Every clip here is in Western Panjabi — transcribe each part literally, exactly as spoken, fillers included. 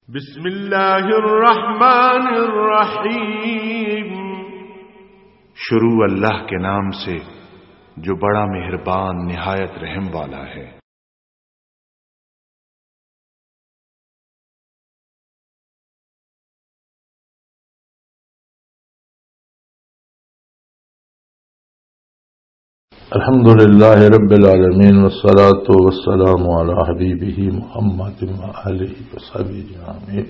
بسم اللہ الرحمن الرحیم۔ شروع اللہ کے نام سے جو بڑا مہربان نہایت رحم والا ہے۔ الحمد لله رب العالمين، والصلاة والسلام على حبيبه محمد وآله وصحبه أجمعين.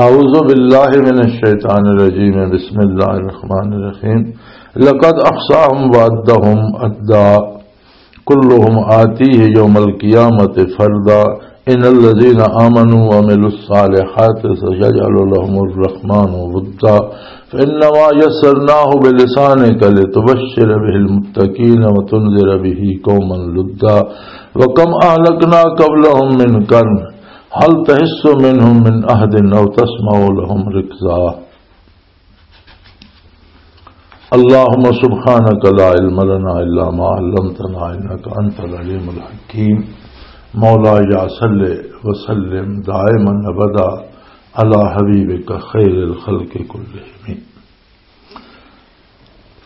أعوذ بالله من الشيطان الرجيم. بسم الله الرحمن الرحيم. لقد أحصاهم وعدهم عدا. كلهم آتيه يوم القيامة فردا. إن الذين آمنوا وعملوا الصالحات سيجعل لهم الرحمن ودا. فإنما يسرناه بلسانك لتبشر به المتقين وتنذر به قوما لدا. وكم أهلكنا قبلهم من قرن هل تحس منهم من أحد أو تسمع لهم ركزا. اللهم سبحانك لا علم لنا إلا ما علمتنا إنك أنت العليم الحكيم. مولاي صل وسلم دائما أبدا على حبيبك خير الخلق كلهم.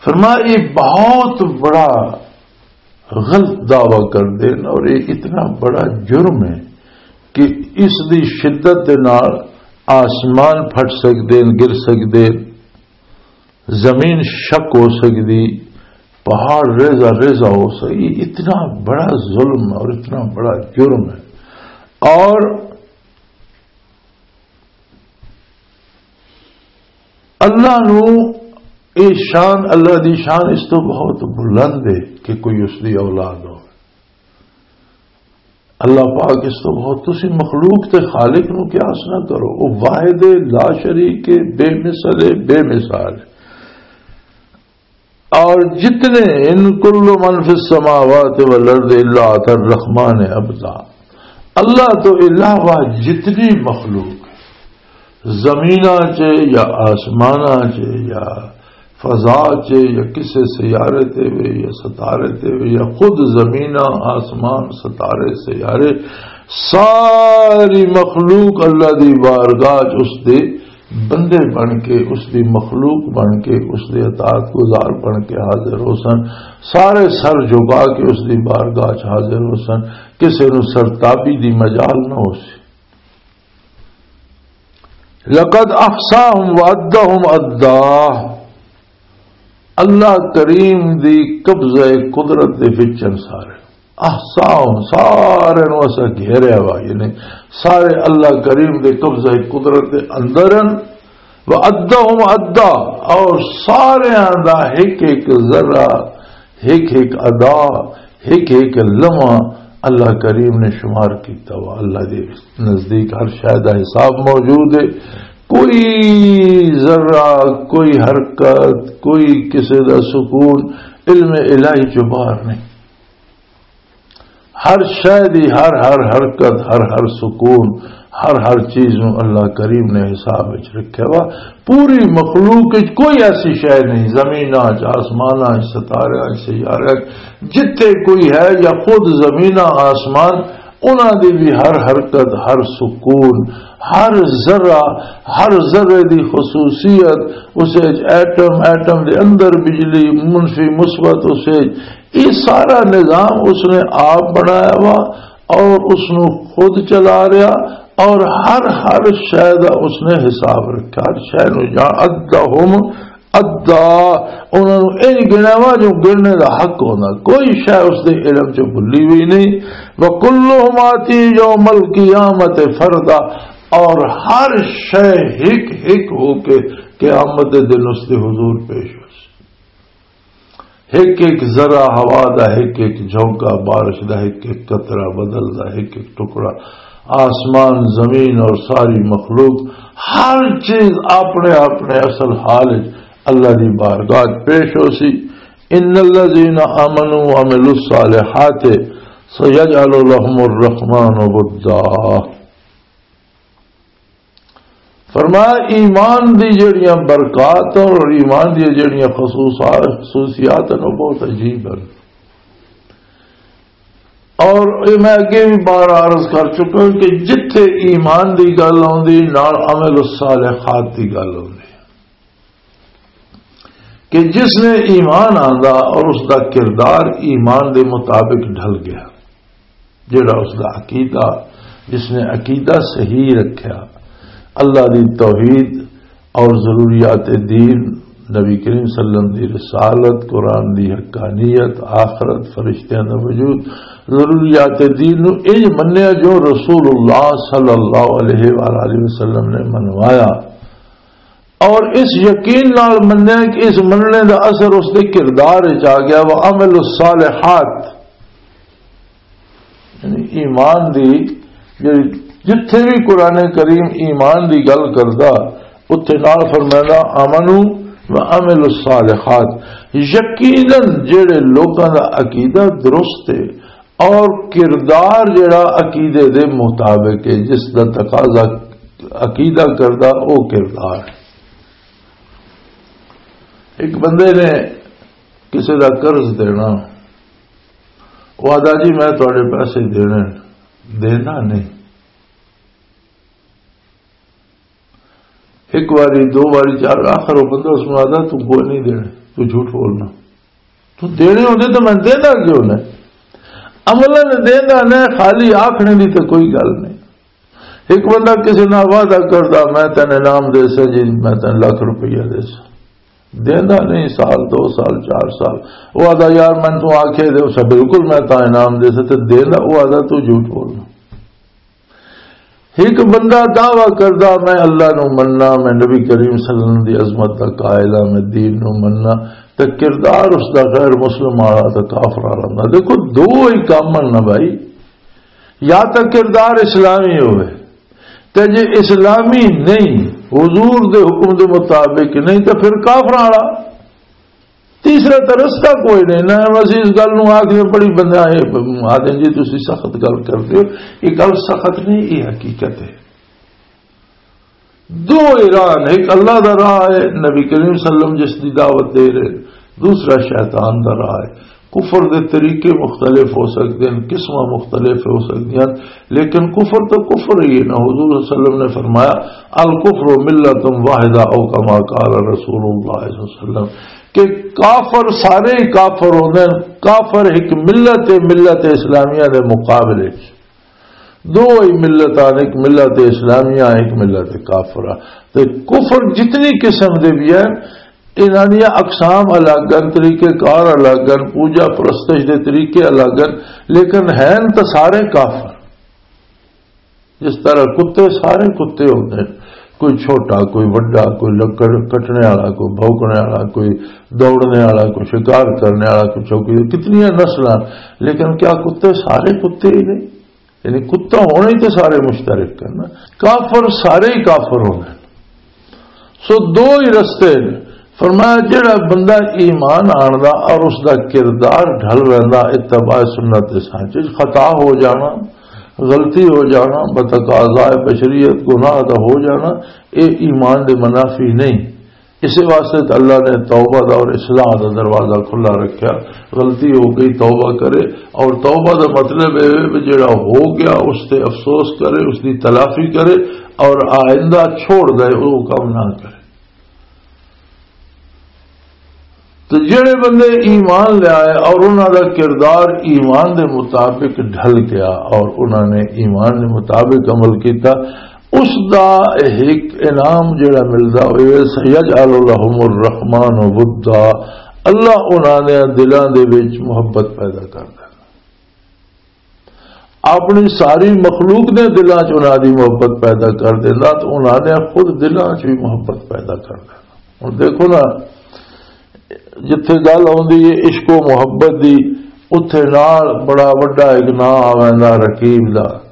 فرمایا، یہ بہت بڑا غلط دعویٰ کر دین اور یہ اتنا بڑا جرم ہے کہ اس دی شدت دے نال آسمان پھٹ سکدے، گر سکدے، زمین شک ہو سکدی، پہاڑ ریزہ ریزہ ہو سکدی۔ اتنا بڑا ظلم اور اتنا بڑا جرم ہے۔ اور اللہ نو اے شان، اللہ دی شان اس تو بہت بلند ہے کہ کوئی اس دی اولاد ہو۔ اللہ پاک اس تو بہت، تسی مخلوق تے خالق نو قیاس نہ کرو، وہ واحد لا شریک ہے، بے مثل ہے، بے مثال ہے۔ اور جتنے، ان کل من فی السماوات والارض الا آتی الرحمن عبدا، اللہ تو علاوہ جتنی مخلوق ہے، زمیناں چ یا آسماناں چ یا فضا چ یا کسے سیارے تے وے یا ستارے تے وے یا خود زمیناں، آسمان، ستارے، سیارے، ساری مخلوق اللہ دی بارگاہ چ اس دے بندے بن کے، اس دی مخلوق بن کے، اس دے اطاعت گزار بن کے حاضر ہو سن۔ سارے سر جھکا کے اس دی بارگاہ چ حاضر ہو سن۔ کسے نو سرتابی دی مجال نہ ہو سی۔ لقد احصاهم وعدهم عدا۔ اللہ کریم دی قبضہ قدرت دے وچن سارے۔ احصاهم، سارے نو اسا گھیریا وا، یعنی سارے اللہ کریم دے قبضہ قدرت دے اندر ہن۔ وعدهم عدا، اور سارے دا ایک ایک ذرہ، ایک ایک ادا، ایک ایک لمحہ اللہ کریم نے شمار کیتا وا۔ اللہ دے نزدیک ہر شے دا حساب موجود ہے۔ کوئی ذرہ، کوئی حرکت، کوئی کسے دا سکون علم الہی چوں باہر نہیں۔ ہر شے دی، ہر ہر حرکت، ہر ہر سکون، ہر ہر چیز نو اللہ کریم نے حساب وچ رکھیا وا۔ پوری مخلوق وچ کوئی ایسی شے نہیں، زمیناں چ، آسماناں چ، ستاریاں چ، سیارے چ، جتھے کوئی ہے یا خود زمیناں آسمان، انہاں دی بھی ہر حرکت، ہر سکون، ہر ذرہ، ہر ذرے دی خصوصیت، اس وچ ایٹم، ایٹم دے اندر بجلی، منفی مثبت، اس وچ یہ سارا نظام اس نے آپ بنایا وا اور اس نو خود چلا رہا، اور ہر ہر شے دا اس نے حساب رکھا، ہر شے نو جان۔ عدهم عدا، انہاں نو انج گنیا وا جو گننے دا حق ہوندا، کوئی شے اس دے علم چ بھلی ہوئی نہیں۔ وکلهم آتی یوم القیامت فردا، اور ہر شے ہک ہک ہو کے قیامت دے دن اس دے حضور پیش ہو سی۔ ایک ایک ذرہ ہوا دا، ایک ایک جھونکا بارش دا، ایک ایک قطرہ بدل دا، ایک ایک ٹکڑا آسمان، زمین اور ساری مخلوق، ہر چیز اپنے اپنے اصل حال وچ اللہ دی بارگاہ وچ پیش ہو سی۔ ان الذین آمنوا وعملوا الصالحات سیجعل لهم الرحمن ودا۔ فرمایا، ایمان دی جڑیاں برکات اور ایمان دی جڑیاں خصوصا-، خصوصیات ہیں، وہ بہت عجیب ہیں۔ اور یہ میں اگے بھی بار عرض کر چکا ہوں کہ جتھے ایمان دی گل آؤندی، نال عمل الصالحات دی گل آؤندی، کہ جس نے ایمان آندا اور اس دا کردار ایمان دے مطابق ڈھل گیا، جڑا اس دا عقیدہ، جس نے عقیدہ صحیح رکھیا، اللہ دی توحید اور ضروریات دین، نبی کریم صلی اللہ علیہ وسلم دی رسالت، قرآن دی حقانیت، آخرت، فرشتیاں دا وجود، ضروریات دین نو انج منیا جو رسول اللہ صلی اللہ علیہ وآلہ وسلم نے منوایا، اور اس یقین نال منیا کہ اس مننے دا اثر اس دے کردار وچ آ گیا۔ وعمل الصالحات، یعنی ایمان دی جڑی، جتھے بھی قرآن کریم ایمان دی گل کردا، اتھے نال فرمائندا، "آمنو و عملوا الصالحات"۔ یقیناً جڑے لوکاں دا عقیدہ درست ہے اور کردار جڑا عقیدے دے مطابق ہے، جس دا تقاضا عقیدہ کردا، او کردار۔ ایک بندے نے کسی دا قرض دینا، وہ آدھا، "جی، میں تہاڈے پیسے دینے۔" دینا نہیں۔ ایک واری، دو واری، چار، آخر وہ بندہ اس میں آدھا، "تو کوئی نہیں دینے، تو جھوٹ بولنا۔ تو دینے ہوندے تو میں دینا کیوں نہ؟" عملاً دینا نہ، خالی آکھنے دی تو کوئی گل نہیں۔ ایک بندہ کسی نال وعدہ کردا، "میں تینوں انعام دے سا جی، میں تینوں لاکھ روپیہ دے سا۔" دیندا نہیں، سال، دو سال، چار سال۔ وہ آدھا، "یار، میں تو آکھے دے سا، بالکل میں تا انعام دے سا۔" تے دیندا، وہ آدھا، "تو جھوٹ بولنا۔" ایک بندہ دعویٰ کردا، "میں اللہ نو مننا، میں نبی کریم صلی اللہ علیہ وسلم دی عظمت دا قائل ہاں، میں دین نو مننا۔" تے کردار اس دا غیر مسلم والا تے کافر والا ہوندا۔ دیکھو، دو ہی کام ہن نا بھائی، یا تے کردار اسلامی ہوئے، تے جے اسلامی نہیں، حضور دے حکم دے مطابق نہیں، تے پھر کافراں والا۔ تیسرا تے رستہ کوئی نہیں۔ نہ اسی اس گل نوں آکھ دے، بڑی بندہ ہے، آدھے جی تسی سخت گل کردے ہو، یہ گل سخت نہیں، یہ حقیقت ہے۔ دو ہی راہ نے، ایک اللہ دا راہ ہے، نبی کریم صلی اللہ علیہ وسلم جس دی دعوت دے رہے، دوسرا شیطان دا راہ ہے۔ کفر دے طریقے مختلف ہو سکتے ہیں، قسماں مختلف ہو سکتی ہیں، لیکن کفر تو کفر ہی ہے نا۔ حضور صلی اللہ علیہ وسلم نے فرمایا، "الکفر ملت واحدہ"، او کما قال رسول اللہ صلی اللہ علیہ وسلم، کہ کافر سارے ہی کافر ہوندے ہیں۔ کافر ایک ملت ہے، ملت اسلامیہ دے مقابلے وچ دو ہی ملتاں، ایک ملت اسلامیہ، ایک ملت کافرہ۔ تے کفر جتنی قسم دے بھی ہیں، انہاں دیاں اقسام الگ ہن، طریقے کار الگ ہن، پوجا پرستش دے طریقے الگ ہن، لیکن ہن تاں سارے کافر۔ جس طرح کتے سارے کتے ہوندے ہن، کوئی چھوٹا، کوئی وڈا، کوئی لکڑ کٹنے والا، کوئی بھونکنے والا، کوئی دوڑنے والا، کوئی شکار کرنے والا، کوئی چوکی، کتنی نسلاں، لیکن کیا کتے سارے کتے ہی نہیں؟ یعنی کتا ہونا ہی تے سارے مشترک کرنا، کافر سارے ہی کافر ہونے۔ سو دو ہی رستے نے۔ فرمایا، جڑا بندہ ایمان آندا اور اس دا کردار ڈھل ویندا، اتباع سنت دے سانچے وچ خطا ہو جانا، غلطی ہو جانا، بتقاضائے بشریت گناہ دا ہو جانا، اے ایمان دے منافی نہیں۔ اسی واسطے تے اللہ نے توبہ دا اور اصلاح دا دروازہ کھلا رکھیا۔ غلطی ہو گئی، توبہ کرے، اور توبہ دا مطلب اے ہے کہ جڑا ہو گیا اس تے افسوس کرے، اس دی تلافی کرے، اور آئندہ چھوڑ دے، وہ کم نہ کرے۔ تو جڑے بندے ایمان لے آئے اور انہاں دا کردار ایمان دے مطابق ڈھل گیا اور انہاں نے ایمان دے مطابق عمل کیتا، اس دا ایک انعام جڑا ملدا ہوئے، "سیجعل لهم الرحمن ودا"، اللہ انہاں نے دلاں دے وچ محبت پیدا کر دینا۔ اپنی ساری مخلوق دے دلاں چ انہاں دی محبت پیدا کر دینا، تو انہاں نے خود دلاں چ بھی محبت پیدا کر دینا۔ ہن دیکھو نا، جتھے گل آندی ہے عشق و محبت دی، اتھے نال بڑا وڈا ایک ناں آ ویندا رقیب دا۔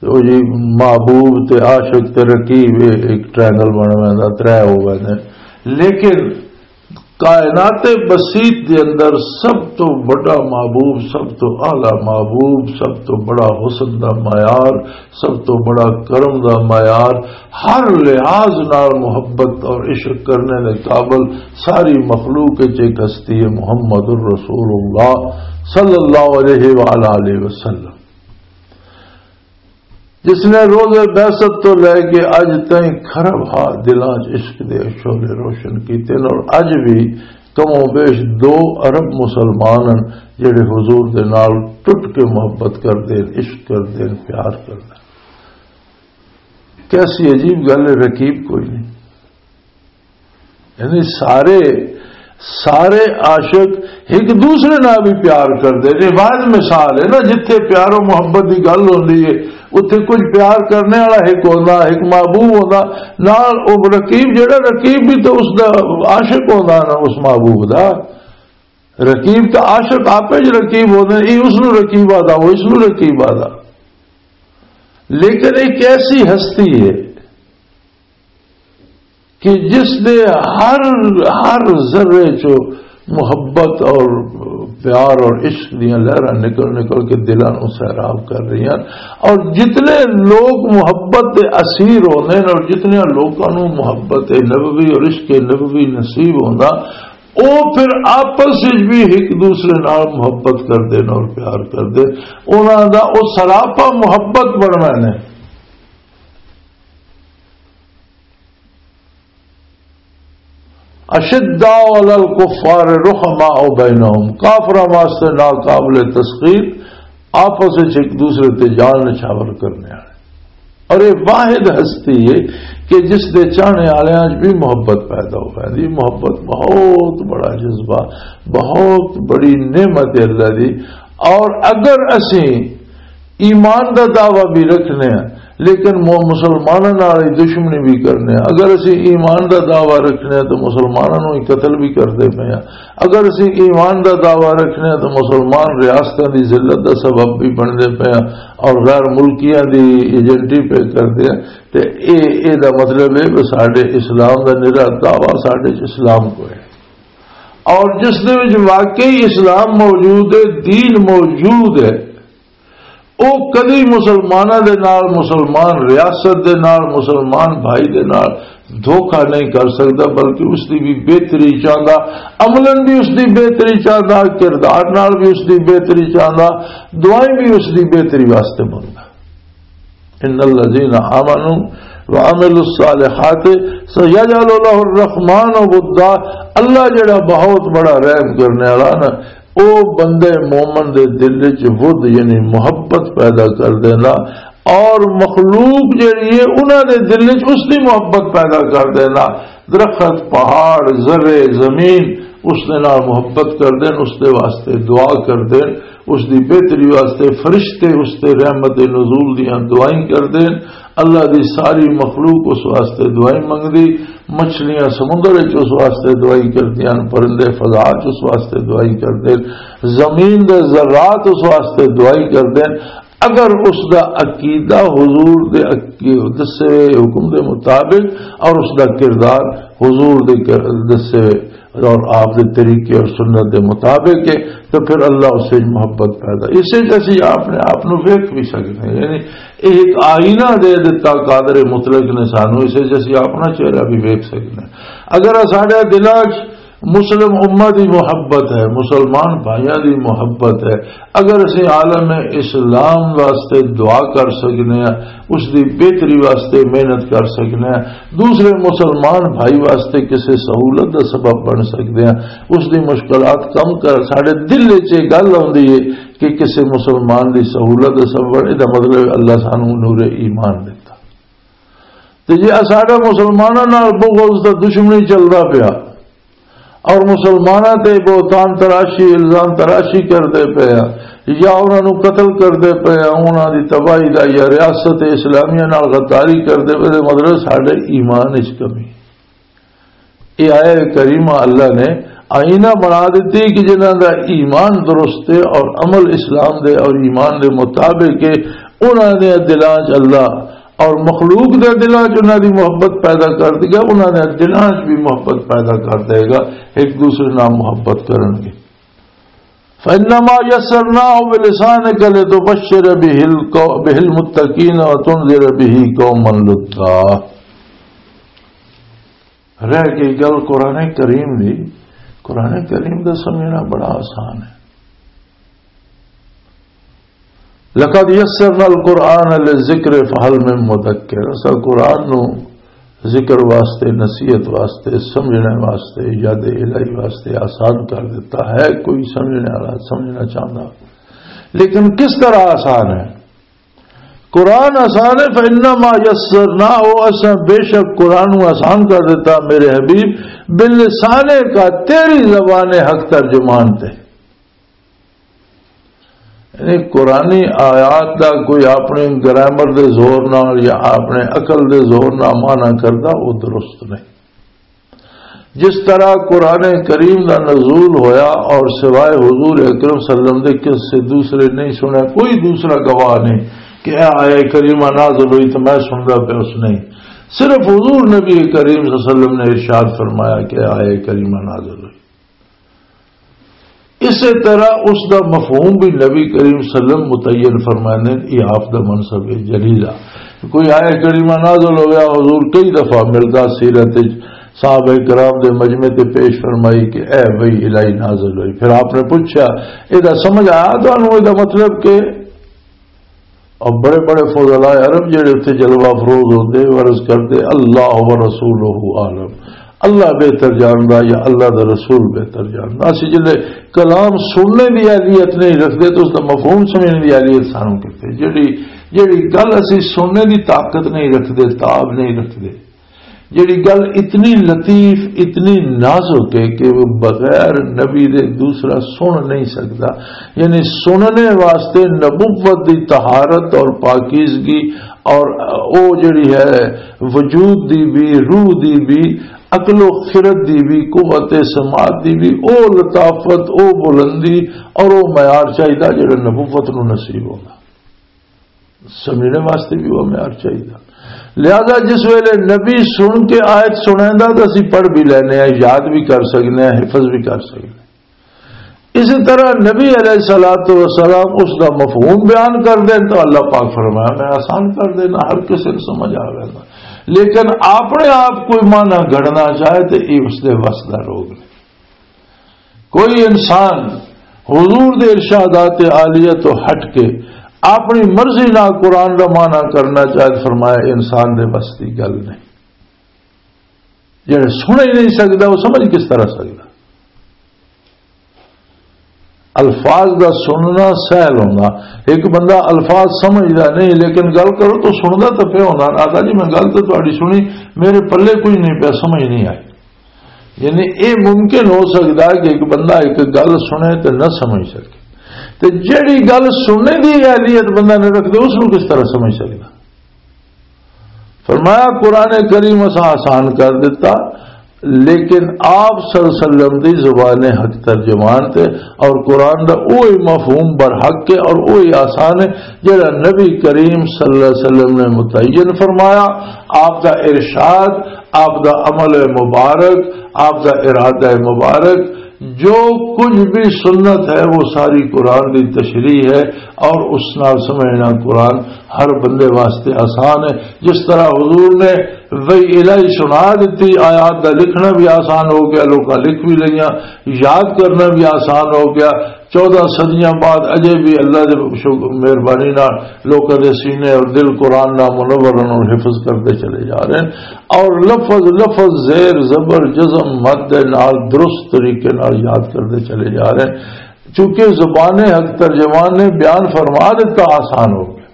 او جی، محبوب تے عاشق تے رقیب، اے ایک ٹرائنگل بن ویندا، ترے ہو ویندے۔ لیکن کائنات بسیط دے اندر سب تو بڑا محبوب، سب تو اعلیٰ محبوب، سب تو بڑا حسن دا معیار، سب تو بڑا کرم دا معیار، ہر لحاظ نال محبت اور عشق کرنے دے قابل ساری مخلوق وچ ایک ہستی ہے، محمد الرسول اللہ صلی اللہ علیہ وآلہ وسلم، جس نے روز بعثت تو لے کے اج تائیں کھرب ہا دلاں چ عشق دے شعلے روشن کیتے نے، اور اج بھی کم و بیش دو ارب مسلمان ہیں جڑے حضور دے نال ٹوٹ کے محبت کردے ہیں، عشق کردے ہیں، پیار کردے ہیں۔ کیسی عجیب گل ہے، رقیب کوئی نہیں۔ یعنی سارے، سارے عاشق ایک دوسرے نال بھی پیار کردے نے۔ واحد مثال ہے نا، جتھے پیار و محبت دی گل ہوندی ہے، اتھے کچھ پیار کرنے والا ایک ہوندا، ایک محبوب ہوندا، نال او رقیب، جڑا رقیب بھی تو اس دا عاشق ہوندا نا، اس محبوب دا۔ رقیب تو عاشق آپ ہی رقیب ہوندے، یہ اس نو رقیب آدا، وہ اس نو رقیب آدا۔ لیکن ایک ایسی ہستی ہے کہ جس دے ہر، ہر ذرے چو محبت اور پیار اور عشق دیاں لہراں نکل نکل کے دلاں نوں سیراب کر رہی ہیں۔ اور جتنے لوگ محبت دے اسیر ہوندے نے اور جتنے لوگوں نوں محبت نبوی اور عشق نبوی نصیب ہوندا، او پھر آپس وچ بھی ایک دوسرے نال محبت کردے نے اور پیار کردے۔ انہاں دا او سراپا محبت بننا نے۔ اشداء علی الکفار رحماء بینہم، کافراں واسطے ناقابل تسخیر، آپس وچ ایک دوسرے تے جان نچھاور کرنے والے۔ اور یہ واحد ہستی ہے کہ جس دے چاہنے والے آج بھی محبت پیدا ہو گئی۔ محبت بہت بڑا جذبہ، بہت بڑی نعمت ہے اللہ دی۔ اور اگر اسی ایمان دا دعویٰ بھی رکھنے ہیں، لیکن مو-، مسلماناں نال ہی دشمنی بھی کرنے ہیں۔ اگر اسی ایمان دا دعویٰ رکھنے ہیں تو مسلماناں نوں ہی قتل بھی کردے پئے ہیں۔ اگر اسی ایمان دا دعویٰ رکھنے ہیں تو مسلمان ریاستاں دی ذلت دا سبب بھی بندے پئے ہیں اور غیر ملکیاں دی ایجنٹی پہ کردے ہیں، تے اے، اے دا مطلب ہے کہ ساڈے اسلام دا نرا دعویٰ ساڈے چ اسلام کو ہے۔ اور جس دے وچ واقعی اسلام موجود ہے، دین موجود ہے، او کدی مسلماناں دے نال مسلمان، ریاست دے نال مسلمان بھائی دے نال دھوکا نہیں کر سکدا، بلکہ اس دی بھی بہتری چاہندا، عملاً بھی اس دی بہتری چاہندا، کردار نال بھی اس دی بہتری چاہندا، دعائیں بھی اس دی بہتری واسطے منگدا۔ ان الذين آمنوا وعملوا الصالحات سيجعل له الرحمن ودا۔ اللہ جڑا بہت بڑا رحم کرنے والا نا، او بندے مومن دے دل وچ ود، یعنی محبت پیدا کر دینا، اور مخلوق جڑی ہے انہاں دے دل وچ اس دی محبت پیدا کر دینا۔ درخت، پہاڑ، ذرے زمین اس دے نال محبت کر دین، اس دے واسطے دعا کر دین، اس دی بہتری واسطے فرشتے اس تے رحمت نزول دیاں دعائیں کر دین۔ اللہ دی ساری مخلوق اس واسطے دعائیں منگدی۔ مچھلیاں سمندر وچ اس واسطے دعائیں کردیاں، پرندے فضا وچ اس واسطے دعائیں کردے، زمین دے ذرات اس واسطے دعائیں کردے۔ اگر اس دا عقیدہ حضور دے عقی-، دسے ہوئے حکم دے مطابق اور اس دا کردار حضور دے کر-، دسے ہوئے اور آپ دے طریقے اور سنت دے مطابق ہے، تو پھر اللہ اس وچ محبت پیدا۔ اس وچ اسی اپنے آپ نو ویکھ بھی سکتے ہیں، یعنی یہ ایک آئینہ دے دتا قادر مطلق نے سانو، اس وچ اسی اپنا چہرہ بھی ویکھ سکتے ہیں۔ اگر ساڈے دلاں 'چ مسلم امت دی محبت ہے، مسلمان بھائیاں دی محبت ہے، اگر اسی عالم اسلام واسطے دعا کر سکنے ہیں، اس دی بہتری واسطے محنت کر سکنے ہیں، دوسرے مسلمان بھائی واسطے کسی سہولت دا سبب بن سکتے ہیں، اس دی مشکلات کم کر، ساڈے دل وچ یہ گل آندی ہے کہ کسی مسلمان دی سہولت دا سبب بن، یہ مطلب اللہ سانو نور ایمان دیتا۔ تے جے ساڈا مسلماناں نال بغض تے دشمنی چلدا پیا اور مسلماناں تے بہتان تراشی، الزام تراشی کردے پئے آ، یا انہاں نوں قتل کردے پئے آ، انہاں دی تباہی دا، یا ریاست اسلامیہ نال غداری کردے پئے، تے مطلب ساڈے ایمان وچ کمی۔ یہ آیت کریمہ اللہ نے آئینہ بنا دیتی کہ جنہاں دا ایمان درست ہے اور عمل اسلام دے اور ایمان دے مطابق ہے، انہاں دے دلاں 'چ اللہ اور مخلوق دے دلاں 'چ انہاں دی محبت پیدا کر دیا، انہاں دے دلاں 'چ بھی محبت پیدا کر دے گا، ایک دوسرے نال محبت کرن گے۔ فَإِنَّمَا يَسَّرْنَاهُ بِلِسَانِكَ لِتُبَشِّرَ بِهِ الْقَوْ-، بِهِ الْمُتَّقِينَ وَتُنذِرَ بِهِ قَوْمًا لُدًّا۔ رہ گئی گل قرآن کریم دی۔ قرآن کریم دا سمجھنا بڑا آسان ہے۔ لقد یسرنا القرآن للذکر فہل من مدکر۔ اساں قرآن نو ذکر واسطے، نصیحت واسطے، سمجھنے واسطے، یاد الہی واسطے آسان کر دیتا ہے۔ کوئی سمجھنے والا سمجھنا چاہتا، لیکن کس طرح آسان ہے؟ قرآن آسان ہے، فَإِنَّمَا يَسَّرْنَاهُ، اساں بے شک قرآن نو آسان کر دیتا میرے حبیب، بلسانک، تیری زبان حق ترجمان تے۔ یعنی قرآنی آیات دا کوئی اپنے گرامر دے زور نال یا اپنے عقل دے زور نال معنی کردا، وہ درست نہیں۔ جس طرح قرآن کریم دا نزول ہویا اور سوائے حضور اکرم صلی اللہ علیہ وسلم دے کس سے دوسرے نہیں سنا، کوئی دوسرا گواہ نہیں کہ اے آیہ کریمہ نازل ہوئی تو میں سندا پیا، اس نہیں، صرف حضور نبی کریم صلی اللہ علیہ وسلم نے ارشاد فرمایا کہ اے آیہ کریمہ نازل ہوئی۔ اسی طرح اس دا مفہوم بھی نبی کریم صلی اللہ علیہ وسلم متعین فرمانے، یہ آپ دا منصب ہے جلیلہ۔ کوئی آیہ کریمہ نازل ہو گیا، حضور کئی دفعہ ملدا سیرت وچ، صحابہ کرام دے مجمع تے پیش فرمائی کہ اے وحی الہی نازل ہوئی۔ پھر آپ نے پوچھا، "اے دا سمجھ آیا تانوں؟ اے دا مطلب کہ؟" اور بڑے بڑے فضلاء عرب جڑے اتھے جلوہ افروز ہوندے، وہ عرض کردے، "اللہ و رسولہ عالم"، اللہ بہتر جاندا یا اللہ دا رسول بہتر جاندا۔ اسی جلے کلام سننے دی اہلیت نہیں رکھدے تو اس دا مفہوم سمجھنے دی اہلیت سانوں کتے؟ جڑی، جڑی گل اسی سننے دی طاقت نہیں رکھدے، تاب نہیں رکھدے، جڑی گل اتنی لطیف، اتنی نازک ہے کہ وہ بغیر نبی دے دوسرا سن نہیں سکتا۔ یعنی سننے واسطے نبوت دی طہارت اور پاکیزگی اور او جڑی ہے وجود دی بھی، روح دی بھی، عقل و خرد دی بھی، قوت سماعت دی بھی، او لطافت، او بلندی اور او معیار چاہیدا جڑا نبوت نو نصیب ہوندا۔ سمجھنے واسطے بھی وہ معیار چاہیے۔ لہذا جس ویلے نبی سن کے آیت سنائندا تو اسی پڑھ بھی لینے ہیں، یاد بھی کر سکنے ہیں، حفظ بھی کر سکنے ہیں۔ اسی طرح نبی علیہ الصلوۃ والسلام اس دا مفہوم بیان کر دیں تو اللہ پاک فرمایا، "میں آسان کر دینا، ہر کسی کو سمجھ آ گیا۔" لیکن اپنے آپ کوئی معنی گھڑنا چاہے تو یہ اس دے وس دا روگ نہیں۔ کوئی انسان حضور دے ارشادات عالیہ تو ہٹ کے اپنی مرضی نال قرآن دا معنی کرنا چاہے، فرمایا، انسان دے بس دی گل نہیں۔ جڑے سن ہی نہیں سکدا، وہ سمجھ کس طرح سکدا؟ الفاظ دا سننا سہل ہوندا۔ ایک بندہ الفاظ سمجھدا نہیں، لیکن گل کرو تو سندا تو پیا ہوندا، "آقا جی، میں گل تو تہاڈی سنی، میرے پلے کچھ نہیں پیا، سمجھ نہیں آئی۔" یعنی اے ممکن ہو سکدا کہ ایک بندہ ایک گل سنے تے نہ سمجھ سکے، تے جیڑی گل سننے دی اہلیت بندہ نہ رکھدا، اس نوں کس طرح سمجھ سکدا؟ فرمایا، قرآن کریم اساں آسان کر دیتا، لیکن آپ صلی اللہ علیہ وسلم دی زبان حق ترجمان تے، اور قرآن دا اوہی مفہوم برحق ہے اور اوہی آسان ہے جڑا نبی کریم صلی اللہ علیہ وسلم نے متعین فرمایا۔ آپ دا ارشاد، آپ دا عمل مبارک، آپ دا ارادہ مبارک، جو کچھ بھی سنت ہے، وہ ساری قرآن دی تشریح ہے، اور اس نال سمجھنا قرآن ہر بندے واسطے آسان ہے۔ جس طرح حضور نے وحی الہی سنا دیتی، آیات دا لکھنا بھی آسان ہو گیا، لوکاں لکھ بھی لئیاں، یاد کرنا بھی آسان ہو گیا۔ چودہ صدیاں بعد اجے بھی اللہ دے شکر، مہربانی نال لوکاں دے سینے اور دل قرآن نال منور ہن اور حفظ کردے چلے جا رہے ہیں، اور لفظ لفظ، زیر زبر، جزم مد دے نال درست طریقے نال یاد کردے چلے جا رہے ہیں، چونکہ زبان حق ترجمان نے بیان فرما دیتا، آسان ہو گیا۔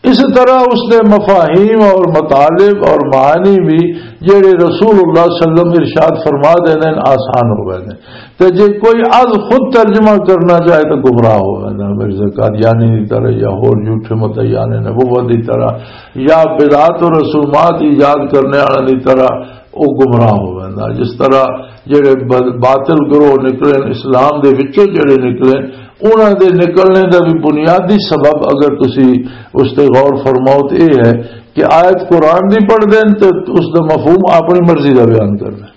اس طرح اس نے مفاہیم اور مطالب اور معانی بھی جڑے رسول اللہ صلی اللہ علیہ وسلم ارشاد فرما دینے آسان ہو گئے نے۔ تے جے کوئی از خود ترجمہ کرنا چاہے تو گمراہ ہو گئے نا، مرزا قادیانی دی طرح یا ہور جھوٹے مدعیان نبوت دی طرح یا بدعات و رسومات ایجاد کرنے والے دی طرح، او گمراہ ہو گئے نا۔ جس طرح جڑے ب-، باطل گروہ نکلے، اسلام دے وچوں جڑے نکلے، انہاں دے نکلنے دا بھی بنیادی سبب، اگر تسی اس تے غور فرماؤ، تے اے ہے کہ آیت قرآن دی پڑھ دین تے اس دا مفہوم اپنی مرضی دا بیان کر دین۔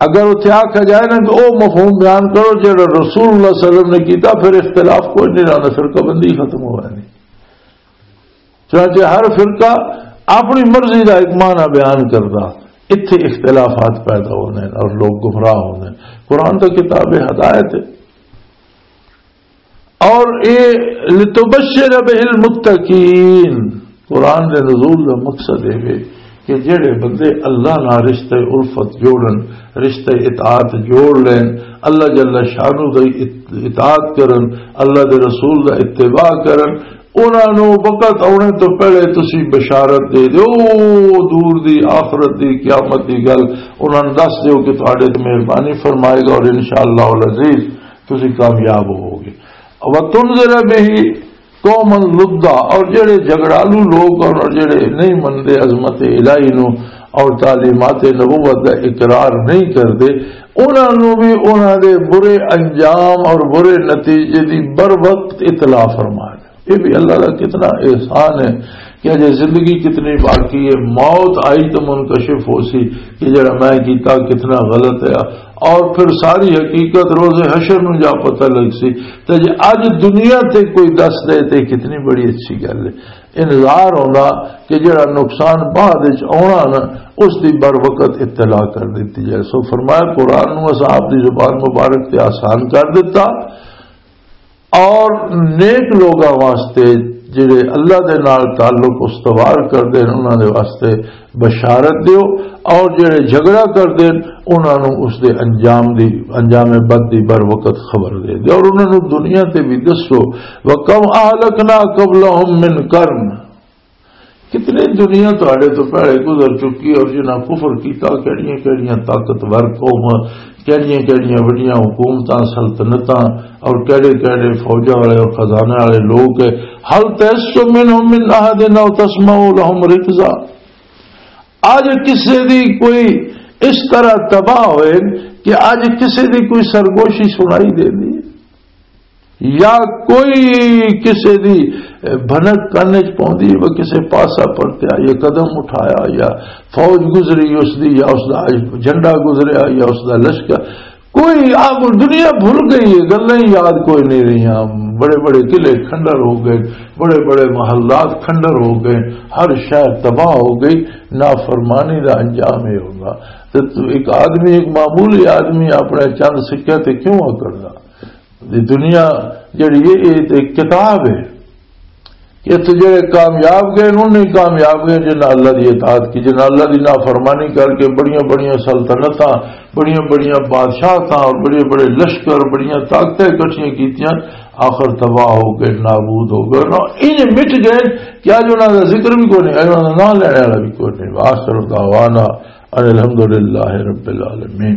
اگر اتھے آکھا جائے نا کہ او مفہوم بیان کرو جڑا رسول اللہ صلی اللہ علیہ وسلم نے کیتا، پھر اختلاف کوئی نہیں رہنا، فرقہ بندی ختم ہو جانی۔ چنانچہ ہر فرقہ اپنی مرضی دا ایک معنی بیان کردا، اتھے اختلافات پیدا ہوندے نے اور لوگ گمراہ ہوندے نے۔ قرآن تو کتاب ہدایت ہے، اور اے لتبشر بہ المتقین۔ قرآن دے نزول دا مقصد اے وے کہ جڑے بندے اللہ نال رشتہ الفت جوڑن، رشتہ اطاعت جوڑ لین، اللہ جل شانہ دی ات-، اطاعت کرن، اللہ دے رسول دا اتباع کرن، انہاں نوں وقت آنے تو پہلے تسی بشارت دے دیو، دور دی آخرت دی، قیامت دی گل انہاں نوں دس دیو کہ تہاڈے تے مہربانی فرمائے گا اور انشاءاللہ العزیز تسی کامیاب ہووگے۔ وَتُنذِرَ بِهِ قَوْمًا لُدًّا، اور جڑے جھگڑالو لوگ اور جڑے نہیں مندے عظمت الہی نو اور تعلیمات نبوت دا اقرار نہیں کردے، انہاں نو بھی انہاں دے برے انجام اور برے نتیجے دی بر وقت اطلاع فرما دے۔ یہ بھی اللہ دا کتنا احسان ہے کہ اجے زندگی کتنی باقی ہے، موت آئی تو منکشف ہو سی کہ جڑا میں کیتا کتنا غلط ہے، اور پھر ساری حقیقت روز حشر نو جا پتہ لگ سی۔ تے جے اج دنیا تے کوئی دس دے تے کتنی بڑی اچھی گل ہے۔ انتظار ہوندا کہ جڑا نقصان بعد وچ آنا نا، اس دی بر وقت اطلاع کر دیتی جائے۔ سو فرمایا، قرآن نو اساں آپ دی زبان مبارک تے آسان کر دیتا، اور نیک لوگاں واسطے جڑے اللہ دے نال تعلق استوار کردے نے، انہاں دے واسطے بشارت دیو، اور جڑے جھگڑا کردے نے، انہاں نوں اس دے انجام دی، انجام بد دی بر وقت خبر دے دیو، اور انہاں نوں دنیا تے بھی دسو، وَكَمْ أَهْلَكْنَا قَبْلَهُمْ مِنْ قَرْنٍ، کتنی دنیا تہاڈے تو پہلے گزر چکی اور جنہاں کفر کیتا، کہڑیاں کہڑیاں طاقتور قوم، کہڑیاں کہڑیاں وڈیاں حکومتاں، سلطنتاں، اور کہڑے کہڑے فوجاں والے اور خزانے والے لوگ ہے۔ هَلْ تَحِسُّ مِنْهُمْ مِنْ أَحَدٍ أَوْ تَسْمَعُ لَهُمْ رِكْزًا؟ اج کسے دی کوئی اس طرح تباہ ہوئے کہ اج کسے دی کوئی سرگوشی سنائی دے دی؟ یا کوئی کسے دی بھنک کن وچ پوندی، وہ کسے پاسا پرتیا، یا قدم اٹھایا، یا فوج گزری اس دی، یا اس دا جھنڈا گزریا، یا اس دا لشکر، کوئی آ، دنیا بھول گئی ہے، گلاں ہی یاد کوئی نہیں رہیاں۔ بڑے بڑے قلعے کھنڈر ہو گئے، بڑے بڑے محلات کھنڈر ہو گئے، ہر شہر تباہ ہو گئی۔ نافرمانی دا انجام یہ ہوگا۔ تے تو ایک آدمی، ایک معمولی آدمی اپنے چند سکے تے کیوں آ کردا؟ یہ دنیا جڑی ہے، یہ تے ایک کتاب ہے۔ اتھے جڑے کامیاب گئے، انہوں نے کامیاب گئے جنہاں اللہ دی اطاعت کی، جنہاں اللہ دی نافرمانی کر کے بڑیاں بڑیاں سلطنتاں، بڑیاں بڑیاں بادشاہتاں اور بڑے بڑے لشکر، بڑیاں طاقتیں اکٹھیاں کیتیاں، آخر تباہ ہو گئے، نابود ہو گئے۔ نہ، انہیں مٹ گئے کہ اج انہاں دا ذکر بھی کوئی نہیں، اج انہاں دا نام لینے والا بھی کوئی نہیں۔ وآخر دعوانا ان الحمدللہ رب العالمین۔